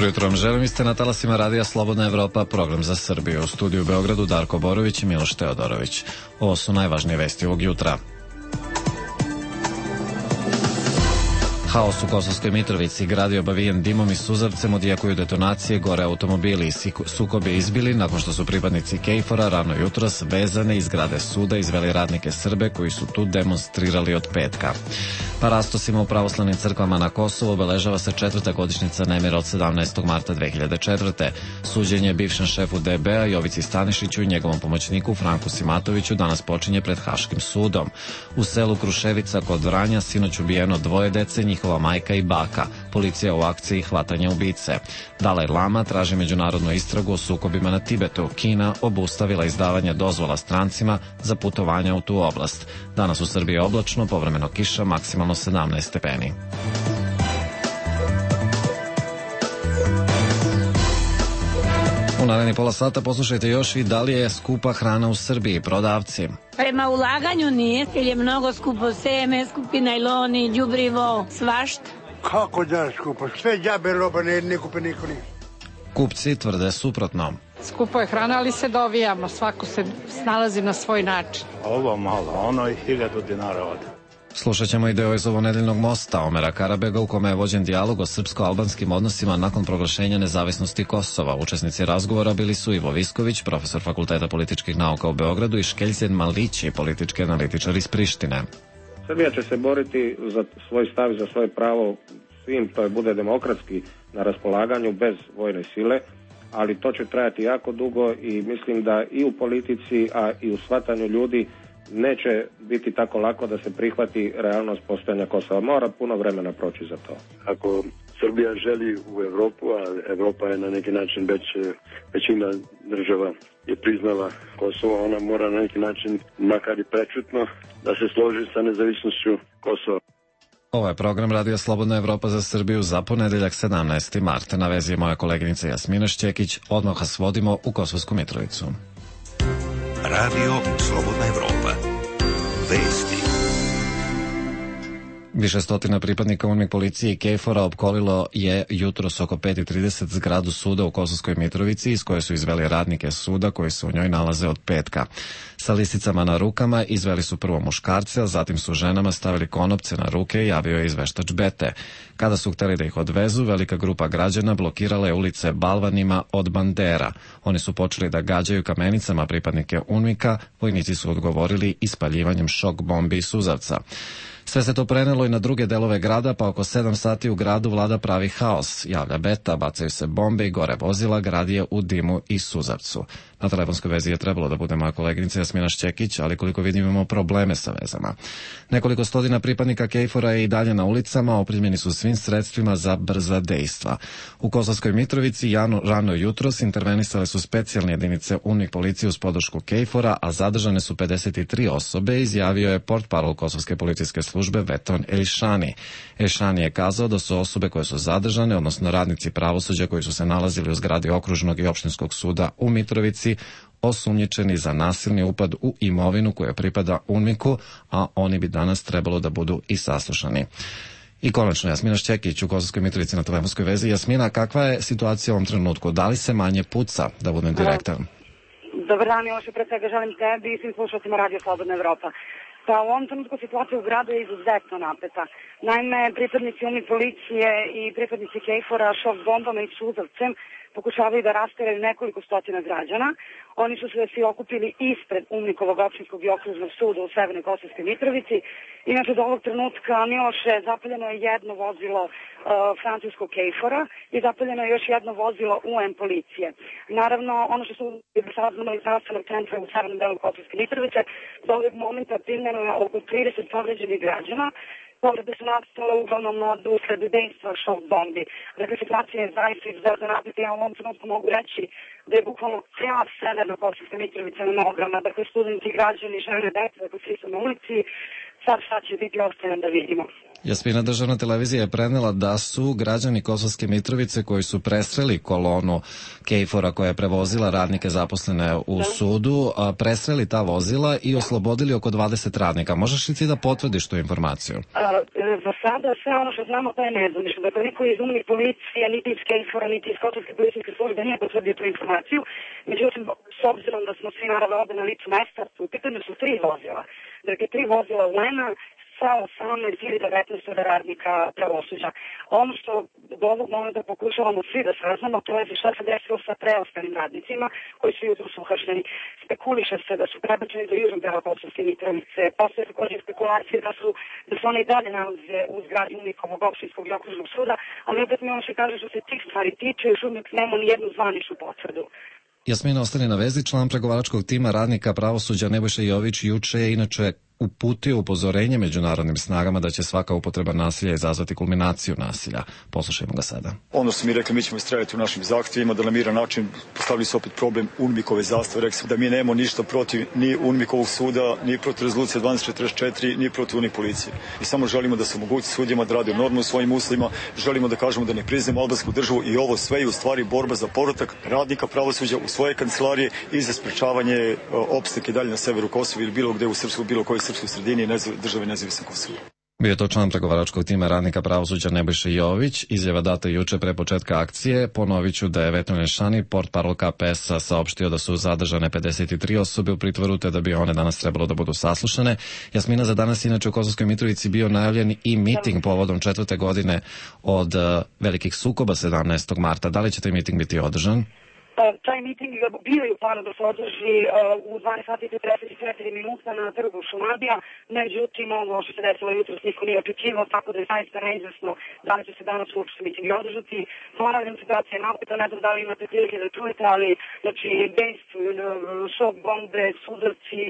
Dobro jutro vam želim, ste na talasima Radija Slobodna Evropa, program za Srbiju. U studiju u Beogradu Darko Borović i Miloš Teodorović. Ovo su najvažnije vesti ovog jutra. Haos u Kosovskoj Mitrovici, grad je obavijen dimom i suzavcem, odjekuju detonacije, gore automobili i sukob je izbili nakon što su pripadnici KFOR-a rano jutros vezane iz zgrade suda izveli radnike Srbe koji su tu demonstrirali od petka. Parastosima u pravoslavnim crkvama na Kosovu obeležava se 4. godišnjica nemira od 17. marta 2004. Suđenje bivšem šefu DB-a Jovici Stanišiću i njegovom pomoćniku Franku Simatoviću danas počinje pred Haškim sudom. U selu Kruševica kod Vranja sinoć ubijeno 2 dece, njihova majka i baka. Policija u akciji hvatanja ubice. Dalaj Lama traži međunarodnu istragu o sukobima na Tibetu. Kina obustavila izdavanje dozvola strancima za putovanja u tu oblast. Danas u Srbiji je oblačno, povremeno kiša, maksimalno 17 stepeni. U narednih pola sata poslušajte još i da li je skupa hrana u Srbiji. Prodavci. Prema ulaganju nije, jer je mnogo skupo seme, skupi najloni, đubrivo, svašta. Kako da skupo? Sve džabe roba, ne kupe niko ništa. Kupci tvrde suprotno. Skupo je hrana, ali se dovijamo, svako se snalazi na svoj način. Ovo malo, ono i 1000 dinara ode. Slušat ćemo i deo iz ovonedeljnog mosta Omera Karabega u kome je vođen dijalog o srpsko-albanskim odnosima nakon proglašenja nezavisnosti Kosova. Učesnici razgovora bili su Ivo Visković, profesor Fakulteta političkih nauka u Beogradu, i Škeljzen Malići, politički analitičar iz Prištine. Srbija će se boriti za svoj stav i za svoje pravo svim, to je bude demokratski na raspolaganju bez vojne sile, ali to će trajati jako dugo i mislim da i u politici, a i u shvatanju ljudi neće biti tako lako da se prihvati realnost postojanja Kosova. Mora puno vremena proći za to. Ako Srbija želi u Evropu, a Evropa je na neki način većina država je priznala Kosovo, ona mora na neki način, makar i prečutno, da se složi sa nezavisnošću Kosova. Ovo je program Radija Slobodna Evropa za Srbiju za ponedeljak 17. marta. Na vezi je moja koleginica Jasmina Šćekić. Odmah vas vodimo u Kosovsku Mitrovicu. Radio Slobodna Evropa. Vesti. Više stotina pripadnika UNMIK policije i KFOR-a opkolilo je jutros oko 5:30 zgradu suda u Kosovskoj Mitrovici, iz koje su izveli radnike suda koji se u njoj nalaze od petka. Sa lisicama na rukama izveli su prvo muškarce, a zatim su ženama stavili konopce na ruke, javio je izveštač Bete. Kada su hteli da ih odvezu, velika grupa građana blokirala je ulice balvanima od bandera. Oni su počeli da gađaju kamenicama pripadnike UNMIK-a, vojnici su odgovorili ispaljivanjem šok bombi i suzavca. Sve se to prenelo i na druge delove grada, pa oko 7 sati u gradu vlada pravi haos. Javlja Beta, bacaju se bombe i gore vozila, grad je u dimu i suzavcu. Na telefonskoj vezi je trebalo da bude moja koleginica Jasmina Šćekić, ali koliko vidim imamo probleme sa vezama. Nekoliko stotina pripadnika KFOR-a je i dalje na ulicama, opremljeni su svim sredstvima za brza dejstva. U Kosovskoj Mitrovici rano jutros intervenisale su specijalne jedinice UNMIK policije uz podršku KFOR-a, a zadržane su 53 osobe, izjavio je portparol Kosovske policijske službe Veton Elišani. Elišani je kazao da su osobe koje su zadržane, odnosno radnici pravosuđa koji su se nalazili u zgradi okružnog i opštinskog suda u Mitrovici, osumnjičeni za nasilni upad u imovinu koja pripada UNMIK-u, a oni bi danas trebalo da budu i saslušani. I konačno, Jasmina Šćekić u Kosovskoj Mitrovici na telefonskoj vezi. Jasmina, kakva je situacija u ovom trenutku? Da li se manje puca, da budem direktan? Dobar dan, Miloše, pre svega želim tebi i svim slušalcima Radio Slobodna Evropa. Pa u ovom trenutku situacija u gradu je izuzetno napeta. Naime, pripadnici UNMIK policije i pripadnici KFOR-a šok bombama i suzavcem pokušavaju da rasteraju nekoliko stotina građana. Oni su se svi okupili ispred UNMIK-ovog opštinskog i okružnog suda u Severnoj Kosovskoj Mitrovici. Inače, do ovog trenutka, Miloše, zapaljeno je jedno vozilo francuskog KFOR-a i zapaljeno je još jedno vozilo UN policije. Naravno, ono što su saznali iz zdravstvenog centra u severnom delu Kosovske Mitrovice, do ovog momenta primljeno je oko 30 povređenih građana. Povrede su nastale uglavnom od usled dejstva šok bombi. Dakle, situacija je zaista izuzetno napeta. Ja u ovom trenutku mogu reći da je bukvalno cijela severna Kosovska Mitrovica na nogama. Dakle, studenti, građani, žene, deca, dakle, svi su na ulici. Sad šta će biti, ostajem da vidimo. Jasmina, državna televizija je prenela da su građani Kosovske Mitrovice koji su presreli kolonu KFOR-a koja je prevozila radnike zaposlene u sudu, presreli ta vozila i oslobodili oko 20 radnika. Možeš li ti da potvrdiš tu informaciju? Za sada sve ono što znamo to je nezvanično. Dakle, niko iz UNMI policije, niti iz KFOR-a, niti iz Kosovske policijske službe nije potvrdio tu informaciju. Međutim, s obzirom da smo svi naravno ovde na licu mesta, u pitanju su 3 vozila. Dakle, 3 vozila Lena sa 18 ili 19 radnika pravosuđa. Ono što do ovog momenta pokušavamo svi da saznamo, to je šta se desilo sa preostalim radnicima koji su jutros uhapšeni. Spekuliše se da su prebačeni do južnog dela Kosovske Mitrovice. Postoje također spekulacije da su oni i dalje nalaze u zgradi UNMIK-ovog opštinskog i okružnog suda, ali opet mi ono što kaže što se tih stvari tiče, još uvijek nema ni jednu zvaničnu potvrdu. Jasmina, ostani na vezi. Član pregovaračkog tima radnika pravosuđa Nebojša Jović juče je inače uputio upozorenje međunarodnim snagama da će svaka upotreba nasilja izazvati kulminaciju nasilja. Poslušajmo ga sada. Ono su mi rekli, mi ćemo istrajati u našim zahtjevima, da na miran način postavili su opet problem UNMIK-ove zastave. Rekli su da mi nemamo ništa protiv ni UNMIK-ovog suda, ni protiv rezolucije 1244, ni protiv UNMIK policije. I samo želimo da se omogući sudijama da rade normalno u svojim uslovima, želimo da kažemo da ne priznamo albansku državu i ovo sve je u stvari borba za povratak radnika pravosuđa u svoje kancelarije i za sprečavanje opstanka dalje na severu Kosova ili bilo gde u Srpsku, bilo koji srpskoj sredini države nezavisne Kosova. Bio je to član pregovaračkog tima radnika pravosuđa Nebojša Jović. Izjava data juče pre početka akcije. Ponovit ću da je Veton Šani, portparol KPS-a, saopštio da su zadržane 53 osobe u pritvoru, te da bi one danas trebalo da budu saslušane. Jasmina, za danas inače u Kosovskoj Mitrovici bio najavljen i miting povodom 4. godine od velikih sukoba 17. marta. Da li će taj miting biti održan? Taj miting bio je u planu da se održi u 12:44 minuta na trgu Šumadija, međutim ovo što se desilo jutros niko nije očekivao, tako da je zaista neizvesno da li će se danas uopšte miting održati. Ponavljam, situacija je napeta, ne znam da li imate prilike da čujete, ali znači dejstvo, šok bombe, sudarci,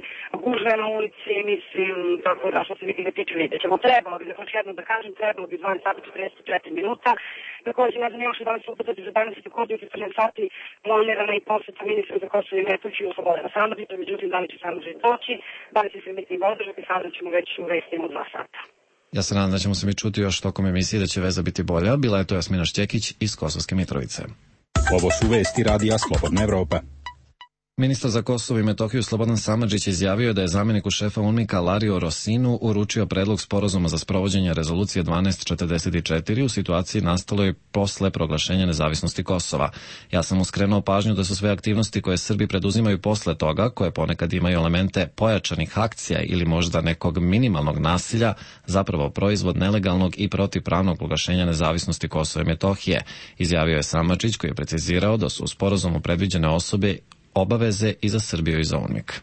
gužve na ulici, mislim, tako da što se mitinga tiče vidjet ćemo. Trebalo bi, dakle jedno da kažem, trebalo bi 12:44 minuta. Također ne znam još da li se uputati za danas i također u 14 sati planirana i poseta ministra za Kosovo i Metohiju Slobodana Samardžića, međutim da li će Samardžić doći, da li će se miting održati, sada ćemo već u vestima od 2 sata. Ja se nadam da ćemo se mi čuti još tokom emisije, da će veza biti bolja. Bila je to Jasmina Šćekić iz Kosovske Mitrovice. Ovo su vesti radija Slobodna Evropa. Ministar za Kosovo i Metohiju Slobodan Samardžić izjavio da je zamjeniku šefa UNMIK-a Lario Rosinu uručio predlog sporazuma za sprovođenje rezolucije 1244 u situaciji nastaloj posle proglašenja nezavisnosti Kosova. Ja sam mu skrenuo pažnju da su sve aktivnosti koje Srbi preduzimaju posle toga, koje ponekad imaju elemente pojačanih akcija ili možda nekog minimalnog nasilja, zapravo proizvod nelegalnog i protivpravnog proglašenja nezavisnosti Kosova i Metohije, izjavio je Samardžić, koji je precizirao da su u sporazumu predviđene osobe obaveze i za Srbiju i za UNMIK.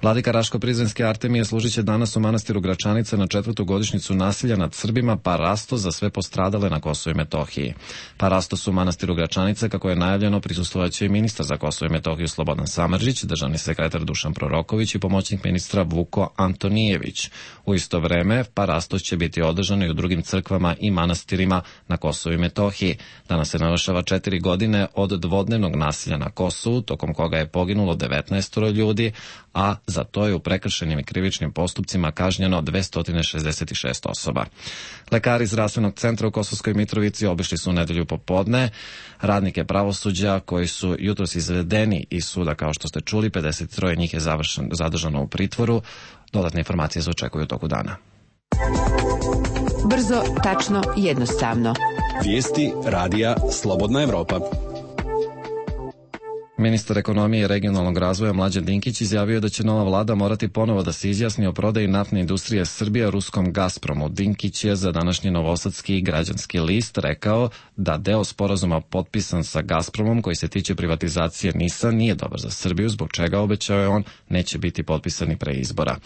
Vladika Raško-Prizrenski Artemije služit će danas u manastiru Gračanice na 4. godišnjicu nasilja nad Srbima Parasto za sve postradale na Kosovu i Metohiji. Parastos u manastiru Gračanice, kako je najavljeno, prisustvovaće i ministar za Kosovo i Metohiju Slobodan Samardžić, državni sekretar Dušan Proroković i pomoćnik ministra Vuko Antonijević. U isto vreme, Parastos će biti održan i u drugim crkvama i manastirima na Kosovu i Metohiji. Danas se navršava 4 godine od dvodnevnog nasilja na Kosovu, tokom koga je poginulo 19 ljudi, a za to je u prekršenim i krivičnim postupcima kažnjeno 266 osoba. Lekari iz zdravstvenog centra u Kosovskoj Mitrovici obišli su u nedelju popodne radnike pravosuđa koji su jutros izvedeni iz suda, kao što ste čuli, 53 njih je zadržano u pritvoru. Dodatne informacije se očekuju u toku dana. Brzo, tačno, jednostavno. Vijesti radija Slobodna Evropa. Ministar ekonomije i regionalnog razvoja Mlađan Dinkić izjavio da će nova vlada morati ponovo da se izjasni o prodaji naftne industrije Srbije ruskom Gazpromu. Dinkić je za današnji Novosadski građanski list rekao da deo sporazuma potpisan sa Gazpromom koji se tiče privatizacije NIS-a nije dobar za Srbiju, zbog čega, obećao je on, neće biti potpisani pre izbora.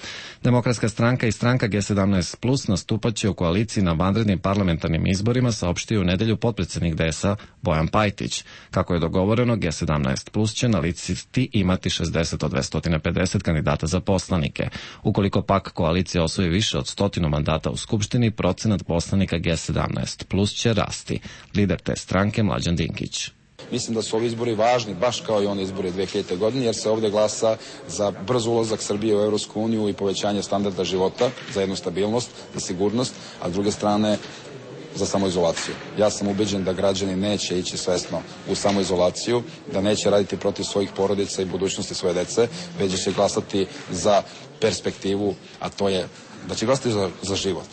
Demokratska stranka i stranka G17+ nastupaće u koaliciji na vanrednim parlamentarnim izborima, saopštio u nedelju potpredsednik DS-a Bojan Pajtić. Kako je dogovoreno, G17+ će na listi imati 60 od 250 kandidata za poslanike. Ukoliko pak koalicija osvoji više od 100 mandata u Skupštini, procenat poslanika G17+ će rasti. Lider te stranke Mlađan Dinkić. Mislim da su ovi izbori važni, baš kao i oni izbori 2000. godine, jer se ovdje glasa za brz ulazak Srbije u Evropsku uniju i povećanje standarda života, za jednu stabilnost, za sigurnost, a s druge strane za samoizolaciju. Ja sam ubeđen da građani neće ići svesno u samoizolaciju, da neće raditi protiv svojih porodica i budućnosti svoje dece, već će glasati za perspektivu, a to je da će glasati za život.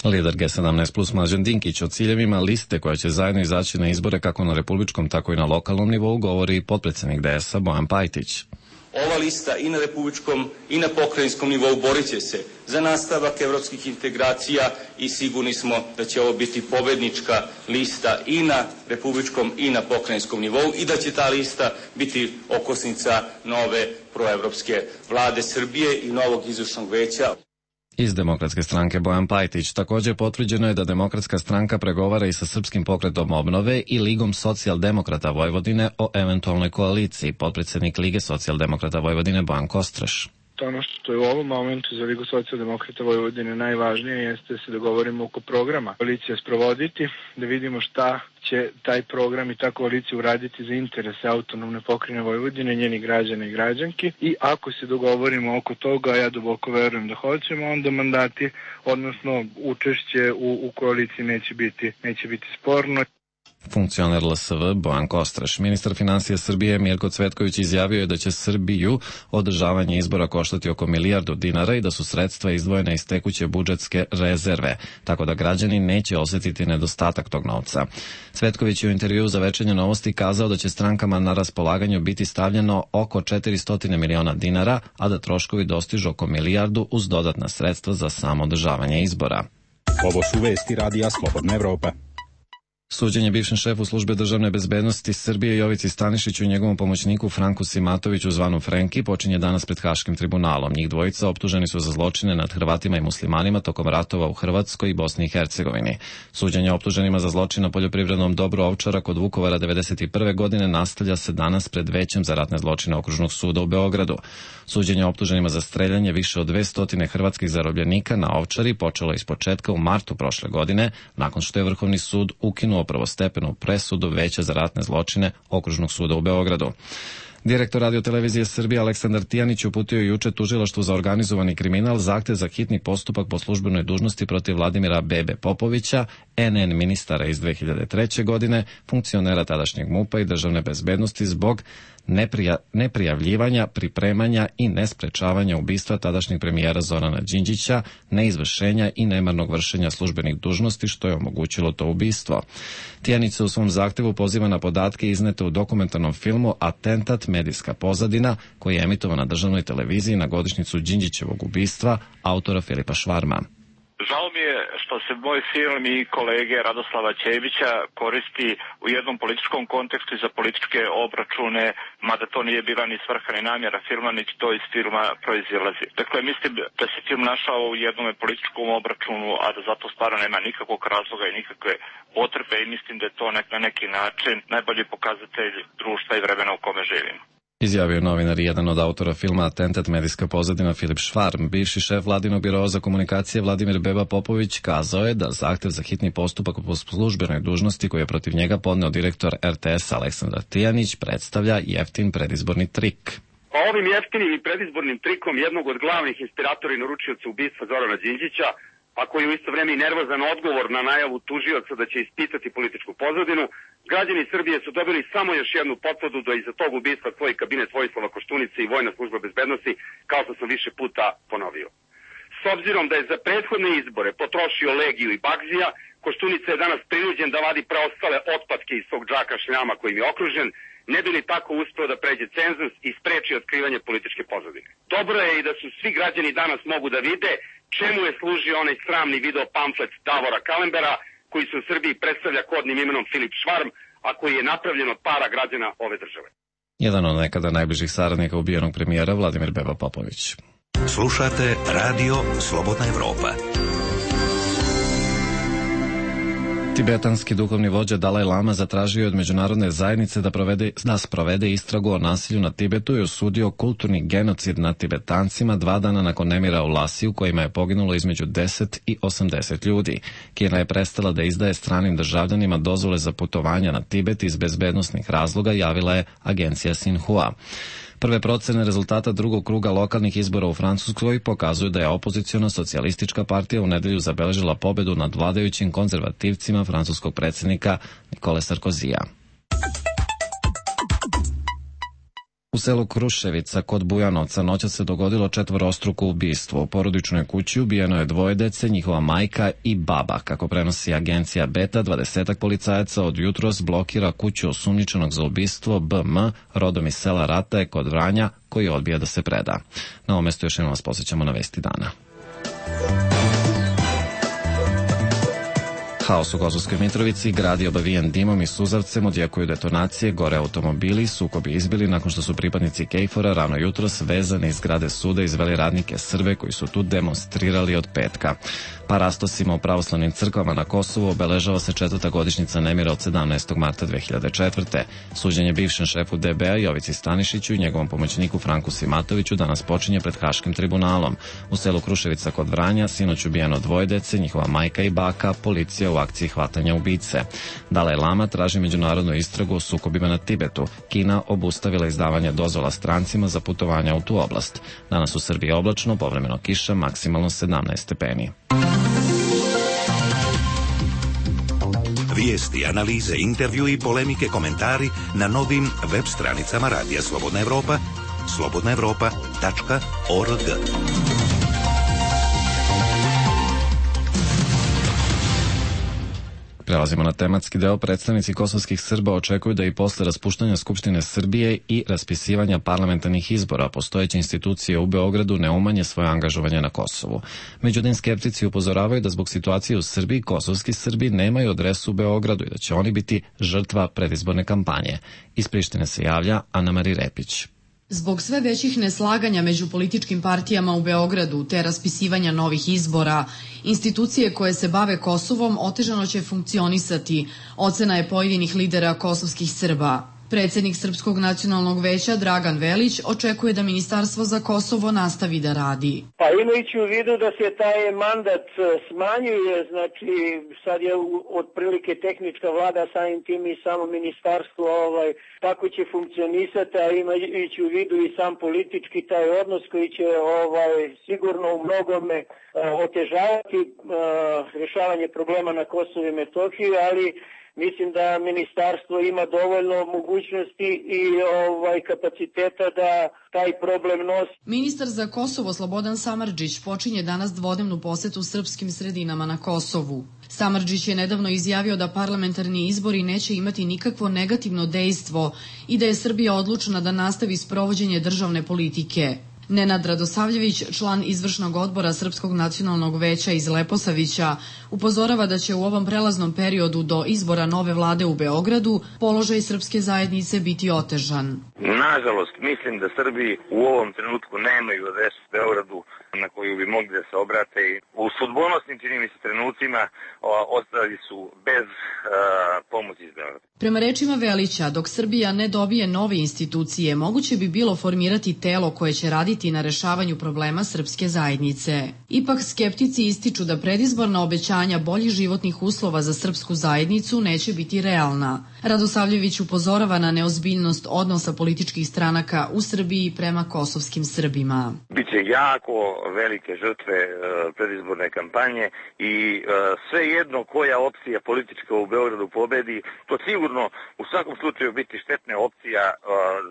Lider G17 plus Mlađan Dinkić o ciljevima liste koja će zajedno izaći na izbore kako na republičkom, tako i na lokalnom nivou govori potpredsjednik DS-a Bojan Pajtić. Ova lista i na republičkom i na pokrajinskom nivou borit će se za nastavak evropskih integracija i sigurni smo da će ovo biti pobednička lista i na republičkom i na pokrajinskom nivou i da će ta lista biti okosnica nove proevropske vlade Srbije i novog izvršnog veća. Iz Demokratske stranke Bojan Pajtić također potvrđeno je da Demokratska stranka pregovara i sa Srpskim pokretom obnove i Ligom socijaldemokrata Vojvodine o eventualnoj koaliciji, potpredsjednik Lige socijaldemokrata Vojvodine Bojan Kostreš. Ono što je u ovom momentu za Ligu socijaldemokrata Vojvodine najvažnije jeste da se dogovorimo oko programa koalicija sprovoditi, da vidimo šta će taj program i ta koalicija uraditi za interese autonomne pokrajine Vojvodine, njeni građana i građanki, i ako se dogovorimo oko toga, ja duboko verujem da hoćemo, onda mandati, odnosno učešće u koaliciji neće biti sporno. Funkcioner LSV Bojan Kostreš. Ministar financija Srbije Mirko Cvetković izjavio je da će Srbiju održavanje izbora koštati oko milijardu dinara i da su sredstva izdvojena iz tekuće budžetske rezerve, tako da građani neće osjetiti nedostatak tog novca. Cvetković je u intervjuu za Večernje novosti kazao da će strankama na raspolaganju biti stavljeno oko 400 miliona dinara, a da troškovi dostižu oko milijardu uz dodatna sredstva za samo održavanje izbora. Ovo su vesti Radija Slobodna Evropa. Suđenje bivšem šefu službe državne bezbednosti Srbije Jovici Stanišiću i njegovom pomoćniku Franku Simatoviću zvanom Frenki počinje danas pred Haškim tribunalom. Njih dvojica optuženi su za zločine nad Hrvatima i muslimanima tokom ratova u Hrvatskoj i Bosni i Hercegovini. Suđenje optuženima za zločin na poljoprivrednom dobru Ovčara kod Vukovara 1991. godine nastavlja se danas pred Većem za ratne zločine Okružnog suda u Beogradu. Suđenje optuženima za streljanje više od 200 hrvatskih zarobljenika na Ovčari počelo je ispočetka u martu prošle godine, nakon što je Vrhovni sud ukinuo prvostepenu presudu Veća za ratne zločine Okružnog suda u Beogradu. Direktor Radio-televizije Srbije Aleksandar Tijanić uputio juče tužilaštvu za organizovani kriminal zahtev za hitni postupak po službenoj dužnosti protiv Vladimira Bebe Popovića, NN ministara iz 2003. godine, funkcionera tadašnjeg MUP-a i državne bezbednosti zbog neprijavljivanja, pripremanja i nesprečavanja ubistva tadašnjeg premijera Zorana Đinđića, neizvršenja i nemarnog vršenja službenih dužnosti što je omogućilo to ubistvo. Tijanić se u svom zahtevu poziva na podatke iznete u dokumentarnom filmu Atentat, medijska pozadina, koji je emitovan na državnoj televiziji na godišnjicu Đinđićevog ubistva autora Filipa Švarma. Žao mi je što se moj film i kolege Radoslava Ćevića koristi u jednom političkom kontekstu i za političke obračune, mada to nije bila ni svrha ni namjera filma, niti to iz filma proizilazi. Dakle, mislim da se film našao u jednom političkom obračunu, a da zato stvarno nema nikakvog razloga i nikakve potrebe i mislim da je to na neki način najbolji pokazatelj društva i vremena u kome živimo. Izjavio novinar i jedan od autora filma Atentat, medijska pozadina Filip Švarm. Bivši šef Vladinog biroa za komunikacije Vladimir Beba Popović kazao je da zahtev za hitni postupak po službenoj dužnosti koji je protiv njega podneo direktor RTS Aleksandar Tijanić predstavlja jeftin predizborni trik. Ovim jeftinim i predizbornim trikom jednog od glavnih inspiratora i naručioca ubistva Zorana Đinđića, a koji je u isto vreme i nervozan odgovor na najavu tužioca da će ispitati političku pozadinu, građani Srbije su dobili samo još jednu potvrdu da iza tog ubistva stoji kabinet Vojislava Koštunice i Vojna služba bezbednosti, kao što sam više puta ponovio. S obzirom da je za prethodne izbore potrošio Legiju i Bagzija, Koštunica je danas prinuđen da vadi preostale otpadke iz svog džaka šljama kojim je okružen, ne bi li tako uspeo da pređe cenzus i spreči otkrivanje političke pozadine. Dobro je i da su svi građani danas mogu da vide čemu je služio onaj sramni video pamflet Davora Kalembera, koji se u Srbiji predstavlja kodnim imenom Filip Švarm, a koji je napravljen od para građana ove države. Jedan od nekada najbližih saradnika ubijenog premijera Vladimir Beba Popović. Slušate Radio Slobodna Evropa. Tibetanski duhovni vođa Dalaj Lama zatražio je od međunarodne zajednice da sprovede istragu o nasilju na Tibetu i osudio kulturni genocid nad Tibetancima 2 dana nakon nemira u Lasi u kojima je poginulo između 10 i 80 ljudi. Kina je prestala da izdaje stranim državljanima dozvole za putovanja na Tibet iz bezbednosnih razloga, javila je agencija Xinhua. Prve procene rezultata drugog kruga lokalnih izbora u Francuskoj pokazuju da je opoziciona socijalistička partija u nedelju zabeležila pobedu nad vladajućim konzervativcima francuskog predsjednika Nikole Sarkozija. U selu Kruševica kod Bujanovca noćas se dogodilo 4-struko ubistvo. U porodičnoj kući ubijeno je 2 dece, njihova majka i baba. Kako prenosi agencija Beta, 20 policajaca od jutros blokira kuću osumnjičenog za ubistvo BM, rodom iz sela Rataje kod Vranja, koji odbija da se preda. Na ovom mestu još jednom vas posjećamo na vesti dana. Haos u Kosovskoj Mitrovici, grad je obavijen dimom i suzavcem, odjekuju detonacije, gore automobili, sukobi izbili nakon što su pripadnici KFOR-a rano jutros vezani iz zgrade suda izveli radnike Srbe koji su tu demonstrirali od petka. Parastosima u pravoslavnim crkvama na Kosovu obeležava se 4. godišnjica nemira od 17. marta 2004. Suđenje bivšem šefu DB-a Jovici Stanišiću i njegovom pomoćniku Franku Simatoviću danas počinje pred Haškim tribunalom. U selu Kruševica kod Vranja sinoć ubijeno 2 dece, njihova majka i baka, policija u akciji hvatanja ubice. Dalaj Lama traži međunarodnu istragu o sukobima na Tibetu. Kina obustavila izdavanje dozvola strancima za putovanja u tu oblast. Danas u Srbiji oblačno, povremeno kiša, maksimalno 17 stepeni. Vijesti, analize, intervju i polemike, komentari na novim web stranicama Radija Slobodna Evropa, slobodnaevropa.org. Prelazimo na tematski deo. Predstavnici kosovskih Srba očekuju da i posle raspuštanja Skupštine Srbije i raspisivanja parlamentarnih izbora postojeće institucije u Beogradu ne umanje svoje angažovanje na Kosovu. Međutim, skeptici upozoravaju da zbog situacije u Srbiji kosovski Srbi nemaju adresu u Beogradu i da će oni biti žrtva predizborne kampanje. Iz Prištine se javlja Ana-Mari Repić. Zbog sve većih neslaganja među političkim partijama u Beogradu te raspisivanja novih izbora, institucije koje se bave Kosovom otežano će funkcionisati, ocena je pojedinih lidera kosovskih Srba. Predsjednik Srpskog nacionalnog veća Dragan Velić očekuje da Ministarstvo za Kosovo nastavi da radi. Pa imajući u vidu da se taj mandat smanjuje, znači sad je otprilike tehnička vlada, samim tim i samo ministarstvo tako će funkcionisati, a imajući u vidu i sam politički taj odnos koji će sigurno u mnogome otežavati rješavanje problema na Kosovu i Metohiji, ali mislim da ministarstvo ima dovoljno mogućnosti i kapaciteta da taj problem nosi. Ministar za Kosovo Slobodan Samardžić počinje danas dvodnevnu posetu srpskim sredinama na Kosovu. Samardžić je nedavno izjavio da parlamentarni izbori neće imati nikakvo negativno dejstvo i da je Srbija odlučna da nastavi sprovođenje državne politike. Nenad Radosavljević, član izvršnog odbora Srpskog nacionalnog veća iz Leposavića, upozorava da će u ovom prelaznom periodu do izbora nove vlade u Beogradu položaj srpske zajednice biti otežan. Nažalost, mislim da Srbi u ovom trenutku nemaju adresu u Beogradu na koju bi mogli da se obrate. U sudbonosnim, čini mi se, trenucima ostali su bez pomoći iz Beograda. Prema rečima Velića, dok Srbija ne dobije nove institucije, moguće bi bilo formirati telo koje će raditi na rešavanju problema srpske zajednice. Ipak skeptici ističu da predizborna obećanja boljih životnih uslova za srpsku zajednicu neće biti realna. Radosavljević upozorava na neozbiljnost odnosa političkih stranaka u Srbiji prema kosovskim Srbima. Biće jako velike žrtve predizborne kampanje i sve jedno koja opcija politička u Beogradu pobedi, to sigurno u svakom slučaju biti štetna opcija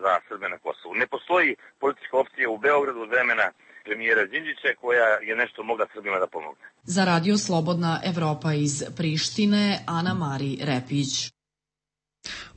za Srbe na Kosovu. Ne postoji politička opcija u Beogradu od vremena premijera Đinđića koja je nešto mogla Srbima da pomogne. Za Radio Slobodna Evropa iz Prištine, Ana-Mari Repić.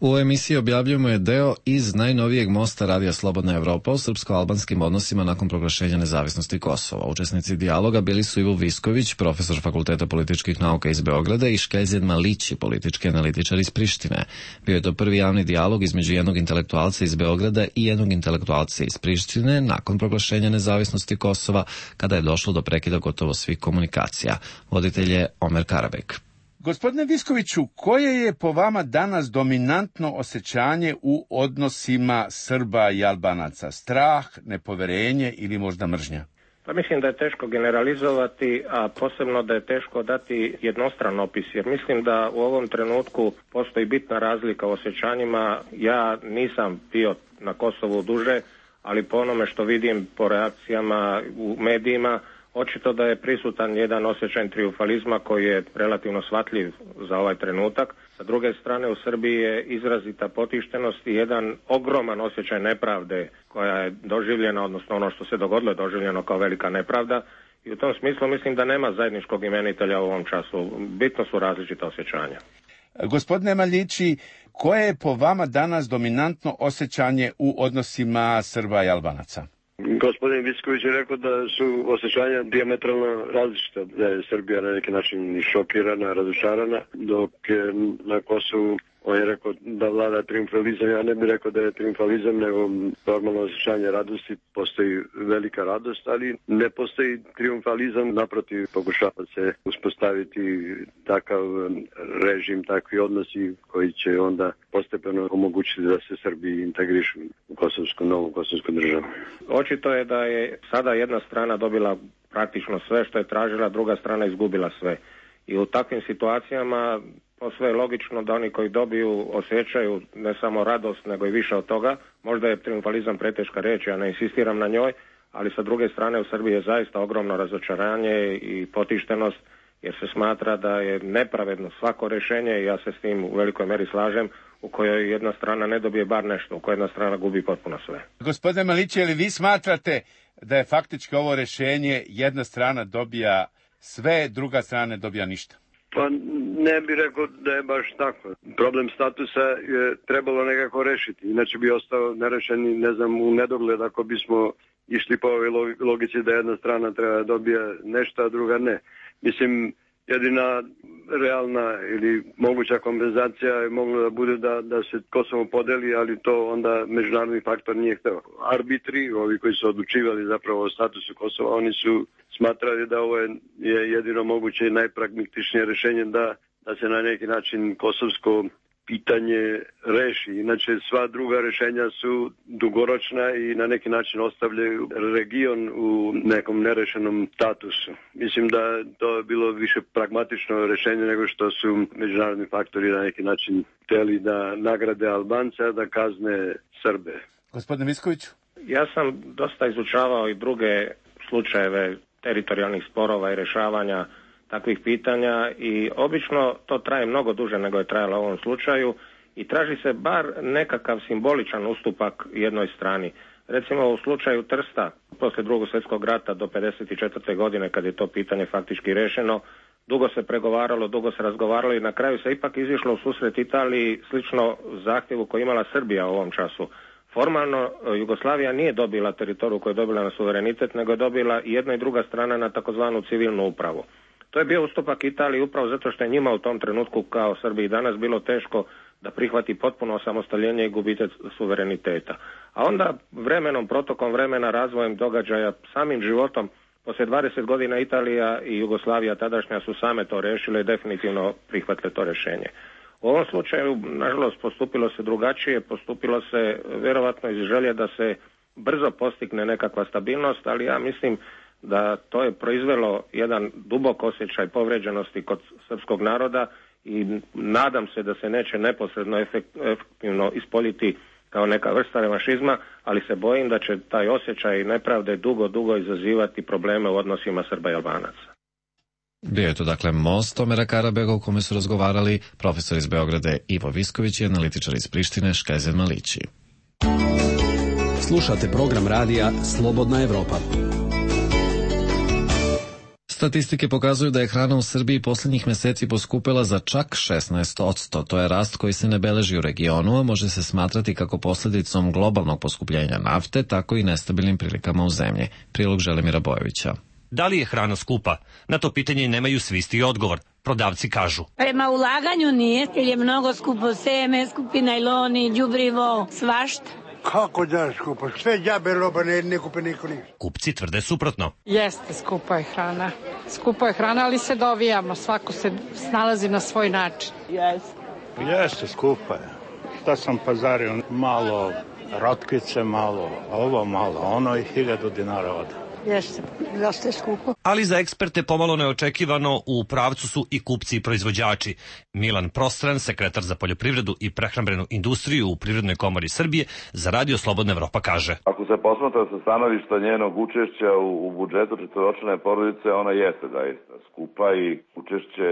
U ovoj emisiji objavljujemo je deo iz najnovijeg mosta Radija Slobodna Evropa o srpsko-albanskim odnosima nakon proglašenja nezavisnosti Kosova. Učesnici dijaloga bili su Ivo Visković, profesor Fakulteta političkih nauka iz Beograda, i Škezjed Malići, politički analitičar iz Prištine. Bio je to prvi javni dijalog između jednog intelektualca iz Beograda i jednog intelektualca iz Prištine nakon proglašenja nezavisnosti Kosova, kada je došlo do prekida gotovo svih komunikacija. Voditelj je Omer Karabek. Gospodine Viskoviću, koje je po vama danas dominantno osjećanje u odnosima Srba i Albanaca? Strah, nepoverenje ili možda mržnja? Pa mislim da je teško generalizovati, a posebno da je teško dati jednostran opis, jer mislim da u ovom trenutku postoji bitna razlika u osjećanjima. Ja nisam bio na Kosovu duže, ali po onome što vidim po reakcijama u medijima, očito da je prisutan jedan osjećaj trijumfalizma koji je relativno shvatljiv za ovaj trenutak. Sa druge strane, u Srbiji je izrazita potištenost i jedan ogroman osjećaj nepravde koja je doživljena, odnosno ono što se dogodilo je doživljeno kao velika nepravda. I u tom smislu mislim da nema zajedničkog imenitelja u ovom času. Bitno su različita osjećanja. Gospodine Maljići, koje je po vama danas dominantno osjećanje u odnosima Srba i Albanaca? Gospodin Visković je rekao da su osjećanja dijametralno različita, da je Srbija na neki način šokirana, razočarana, dok je na Kosovu on je rekao da vlada triumfalizam. Ja ne bih rekao da je triumfalizam, nego normalno osjećanje radosti. Postoji velika radost, ali ne postoji triumfalizam. Naprotiv, pokušava se uspostaviti takav režim, takvi odnosi koji će onda postepeno omogućiti da se Srbi integrišu u novu kosovsku državu. Očito je da je sada jedna strana dobila praktično sve što je tražila, druga strana izgubila sve. I u takvim situacijama posve je logično da oni koji dobiju osjećaju ne samo radost, nego i više od toga. Možda je triumfalizam preteška riječ, ja ne insistiram na njoj, ali sa druge strane u Srbiji je zaista ogromno razočaranje i potištenost, jer se smatra da je nepravedno svako rješenje, i ja se s tim u velikoj meri slažem, u kojoj jedna strana ne dobije bar nešto, u kojoj jedna strana gubi potpuno sve. Gospodine Malić, je li vi smatrate da je faktički ovo rješenje jedna strana dobija sve, druga strana ne dobija ništa? Pa ne bih rekao da je baš tako. Problem statusa je trebalo nekako rešiti, inače bi ostao nerešen i u nedogled ako bismo išli po ovoj logici da jedna strana treba dobija nešto, a druga ne. Mislim, jedina realna ili moguća kompenzacija je mogla da bude da se Kosovo podeli, ali to onda međunarodni faktor nije hteo. Arbitri, ovi koji su odlučivali zapravo o statusu Kosova, oni su smatrali da ovo je jedino moguće i najpragmatičnije rješenje da se na neki način kosovsko pitanje reši. Inače, sva druga rješenja su dugoročna i na neki način ostavljaju region u nekom nerešenom statusu. Mislim da to je bilo više pragmatično rješenje nego što su međunarodni faktori na neki način hteli da nagrade Albance, da kazne Srbe. Gospodine Viskoviću? Ja sam dosta izučavao i druge slučajeve teritorijalnih sporova i rješavanja takvih pitanja i obično to traje mnogo duže nego je trajalo u ovom slučaju i traži se bar nekakav simboličan ustupak jednoj strani. Recimo u slučaju Trsta, poslije Drugog svjetskog rata do 1954. godine kad je to pitanje faktički rešeno, dugo se pregovaralo, dugo se razgovaralo i na kraju se ipak izišlo u susret Italiji slično zahtjevu koji imala Srbija u ovom času. Formalno Jugoslavija nije dobila teritoriju koju je dobila na suverenitet, nego je dobila i jedna i druga strana na takozvanu civilnu upravu. To je bio ustupak Italiji upravo zato što je njima u tom trenutku kao Srbiji danas bilo teško da prihvati potpuno osamostaljenje i gubitak suvereniteta. A onda vremenom, protokom vremena, razvojem događaja, samim životom, poslije 20 godina Italija i Jugoslavija tadašnja su same to rešile i definitivno prihvatile to rješenje. U ovom slučaju, nažalost, postupilo se drugačije, postupilo se vjerovatno iz želje da se brzo postigne nekakva stabilnost, ali ja mislim da to je proizvelo jedan dubok osjećaj povređenosti kod srpskog naroda i nadam se da se neće neposredno efektivno ispoljiti kao neka vrsta revanšizma, ali se bojim da će taj osjećaj nepravde dugo izazivati probleme u odnosima Srba i Albanaca. Bio je to dakle Most Omera Karabega u kome su razgovarali profesor iz Beograda Ivo Visković i analitičar iz Prištine Škezen Malići. Slušate program radija Slobodna Evropa. Statistike pokazuju da je hrana u Srbiji posljednjih meseci poskupela za čak 16%. To je rast koji se ne beleži u regionu, a može se smatrati kako posljedicom globalnog poskupljenja nafte, tako i nestabilnim prilikama u zemlji. Prilog Želimira Bojevića. Da li je hrana skupa? Na to pitanje nemaju svi isti odgovor. Prodavci kažu. Prema ulaganju nije, jer je mnogo skupo seme, skupi najloni, đubrivo, svašta. Kako da je skupo? Sve džabe roba, ne kupe niko ništa. Kupci tvrde suprotno. Jeste, skupa je hrana. Skupa je hrana, ali se dovijamo. Svako se snalazi na svoj način. Jeste, skupa je. Šta sam pazario? Malo rotkvice, malo ovo, malo ono i 1000 dinara ode. Jeste, dosta je skupo. Ali za eksperte pomalo neočekivano u pravcu su i kupci i proizvođači. Milan Prostran, sekretar za poljoprivredu i prehrambenu industriju u Privrednoj komori Srbije, za Radio Slobodna Evropa kaže. Ako se posmatra sa stanovišta njenog učešća u budžetu četvoročlane porodice, ona jeste zaista skupa i učešće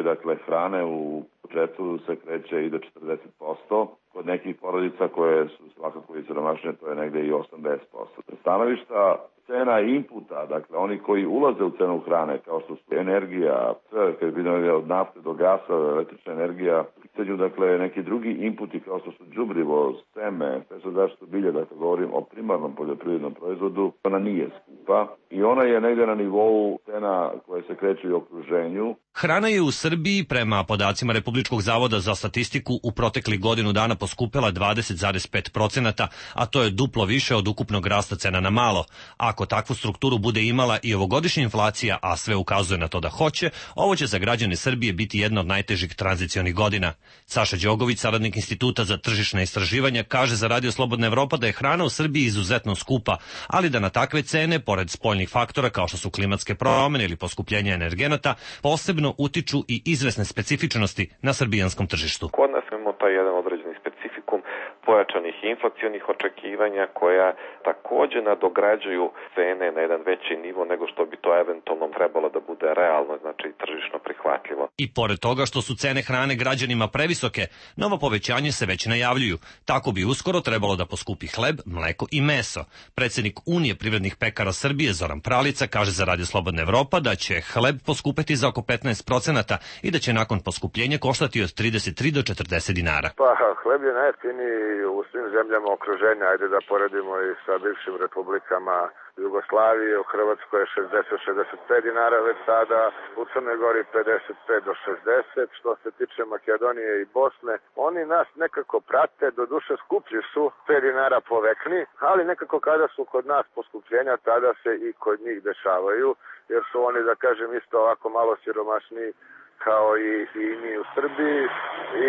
hrane u budžetu se kreće i do 40%. Kod nekih porodica koje su svakako i siromašnije, to je negde i 80%. Stanovišta cena inputa, oni koji ulaze u cenu hrane, kao što su energija, kad je od nafte do gasa, električna energija, pitanju, neki drugi inputi kao što su đubrivo, seme, sve zaštitu bilja, govorim o primarnom poljoprivrednom proizvodu, ona nije skupa i ona je negde na nivou cena koje se kreću u okruženju. Hrana je u Srbiji, prema podacima Republičkog zavoda za statistiku, u proteklih godinu dana poskupela 20,5%, a to je duplo više od ukupnog rasta cena na malo. Ako takvu strukturu bude imala i ovogodišnja inflacija, a sve ukazuje na to da hoće, ovo će za građane Srbije biti jedna od najtežih tranzicionih godina. Saša Đogović, saradnik Instituta za tržišna istraživanja, kaže za Radio Slobodna Evropa da je hrana u Srbiji izuzetno skupa, ali da na takve cene, pored spoljnih faktora kao što su klimatske promene ili poskupljenje energenata, posebno utiču i izvesne specifičnosti na srbijanskom tržištu. Kod nas imamo taj jedan određeni specifikum pojačanih inflacionih očekivanja koja takođe nadograđuju cene na jedan veći nivo nego što bi to eventualno trebalo da bude realno, znači tržišno prihvatljivo. I pored toga što su cene hrane građanima previsoke, nova povećanje se već najavljuju. Tako bi uskoro trebalo da poskupi hleb, mleko i meso. Predsednik Unije privrednih pekara Srbije Zoran Pralica kaže za Radio Slobodna Evropa da će hleb poskupeti za oko 15% i da će nakon poskupljenja koštati od 33 do 40 dinara. Pa hleb je najjeftiniji u svim zemljama okruženja, ajde da poredimo i sa bivšim republikama Jugoslavije, u Hrvatskoj je 60-65 dinara već sada, u Crnoj Gori 55 do 60, što se tiče Makedonije i Bosne. Oni nas nekako prate, do duše skuplji su 5 dinara po vekni, ali nekako kada su kod nas poskupljenja, tada se i kod njih dešavaju, jer su oni, da kažem, isto ovako malo siromašniji kao i mi u Srbiji i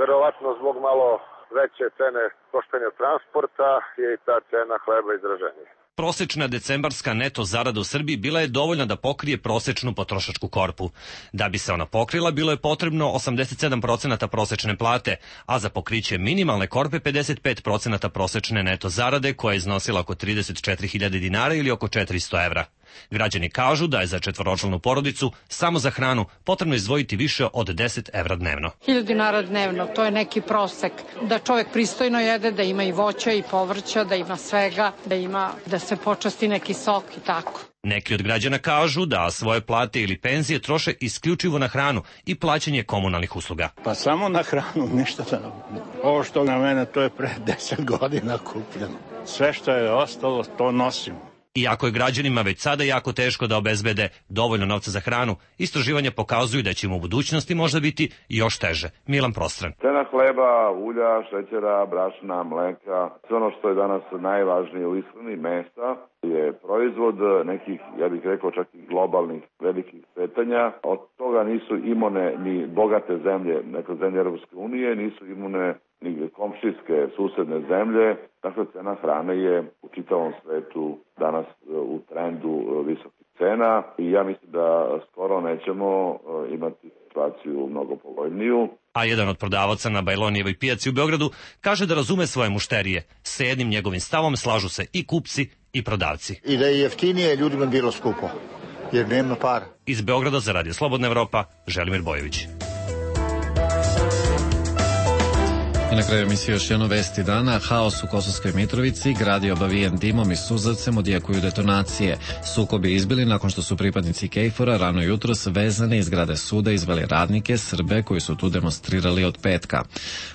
verovatno zbog malo veće cene koštanja transporta je i ta cena hleba izraženija. Prosečna decembarska neto zarada u Srbiji bila je dovoljna da pokrije prosečnu potrošačku korpu. Da bi se ona pokrila, bilo je potrebno 87% prosečne plate, a za pokriće minimalne korpe 55% prosečne neto zarade, koja je iznosila oko 34.000 dinara ili oko 400 evra. Građani kažu da je za četvoročlanu porodicu samo za hranu potrebno izdvojiti više od 10 evra dnevno. 1000 dinara dnevno, to je neki prosek. Da čovjek pristojno jede, da ima i voća i povrća, da ima svega, da se počasti neki sok i tako. Neki od građana kažu da svoje plate ili penzije troše isključivo na hranu i plaćanje komunalnih usluga. Pa samo na hranu, ništa da... Ovo što na mene, to je pre 10 godina kupljeno. Sve što je ostalo, to nosim. Iako je građanima već sada jako teško da obezbede dovoljno novca za hranu, istraživanja pokazuju da će im u budućnosti možda biti još teže. Milan Prostran. Cena hleba, ulja, šećera, brašna, mleka, sve ono što je danas najvažnije u ishrani, mesa, je proizvod nekih, ja bih rekao, čak i globalnih velikih kretanja. Od toga nisu imune ni bogate zemlje, neke zemlje Europske unije, nisu imune ni komšijske susedne zemlje. Dakle, cena hrane je u čitavom svetu danas u trendu visokih cena i ja mislim da skoro nećemo imati situaciju mnogo povoljniju. A jedan od prodavaca na Bajlonijevoj pijaci u Beogradu kaže da razume svoje mušterije. Sa jednim njegovim stavom slažu se i kupci i prodavci. I da je jeftinije ljudima bilo skupo, jer nema para. Iz Beograda za Radio Slobodna Evropa, Želimir Bojović. I na kraju emisije još jedno vesti dana. Haos u Kosovskoj Mitrovici, grad je obavijen dimom i suzavcem, odjekuju detonacije. Sukobi izbili nakon što su pripadnici KFOR-a rano jutros vezani iz zgrade suda izveli radnike Srbe koji su tu demonstrirali od petka.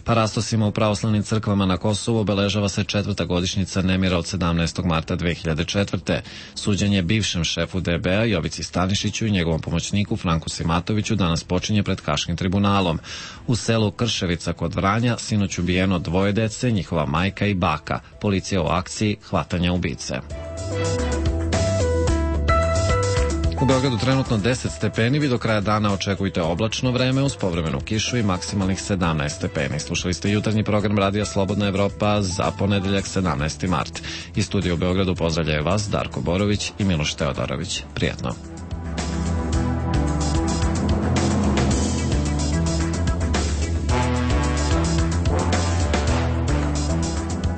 Parastosima u pravoslavnim crkvama na Kosovu obeležava se 4. godišnjica nemira od 17. marta 2004. Suđenje bivšem šefu DB-a Jovici Stanišiću i njegovom pomoćniku Franku Simatoviću danas počinje pred Haškim tribunalom. U selu Krševica kod Vranja sinoć sinoć ubijeno 2 dece, njihova majka i baka. Policija u akciji hvatanja ubice. U Beogradu trenutno 10 stepeni, vi do kraja dana očekujte oblačno vreme uz povremenu kišu i maksimalnih 17 stepeni. Slušali ste jutarnji program Radija Slobodna Evropa za ponedeljak 17. mart. Iz studija u Beogradu pozdravljaju vas Darko Borović i Miloš Teodorović. Prijetno.